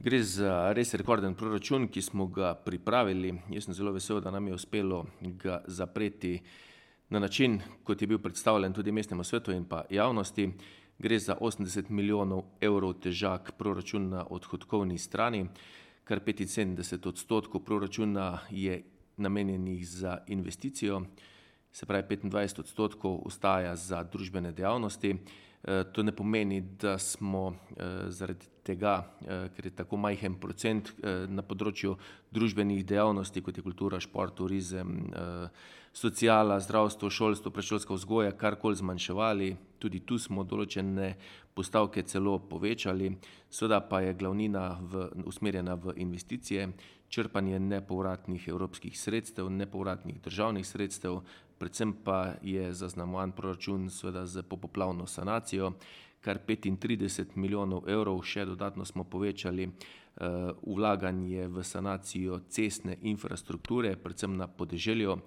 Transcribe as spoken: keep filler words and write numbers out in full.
Gre za res rekorden proračun, ki smo ga pripravili. Jaz sem zelo vesel, da nam je uspelo ga zapreti na način, kot je bil predstavljen tudi mestnemu svetu in pa javnosti. Gre za osemdeset milijonov evrov težak proračun na odhodkovni strani, kar petinsedemdeset odstotkov proračuna je namenjenih za investicijo, se pravi petindvajset odstotkov ostaja za družbene dejavnosti. To ne pomeni, da smo zaradi tega, ker je tako majhen procent na področju družbenih dejavnosti, kot je kultura, šport, turizem, sociala, zdravstvo, šolstvo, predšolska vzgoja, karkoli zmanjševali. Tudi tu smo določene postavke celo povečali. Seveda pa je glavnina v, usmerjena v investicije, črpanje nepovratnih evropskih sredstev, nepovratnih državnih sredstev, predvsem pa je zaznamovan proračun seveda s popoplavno sanacijo, kar petintrideset milijonov evrov, še dodatno smo povečali vlaganje v sanacijo cestne infrastrukture, predvsem na podeželju,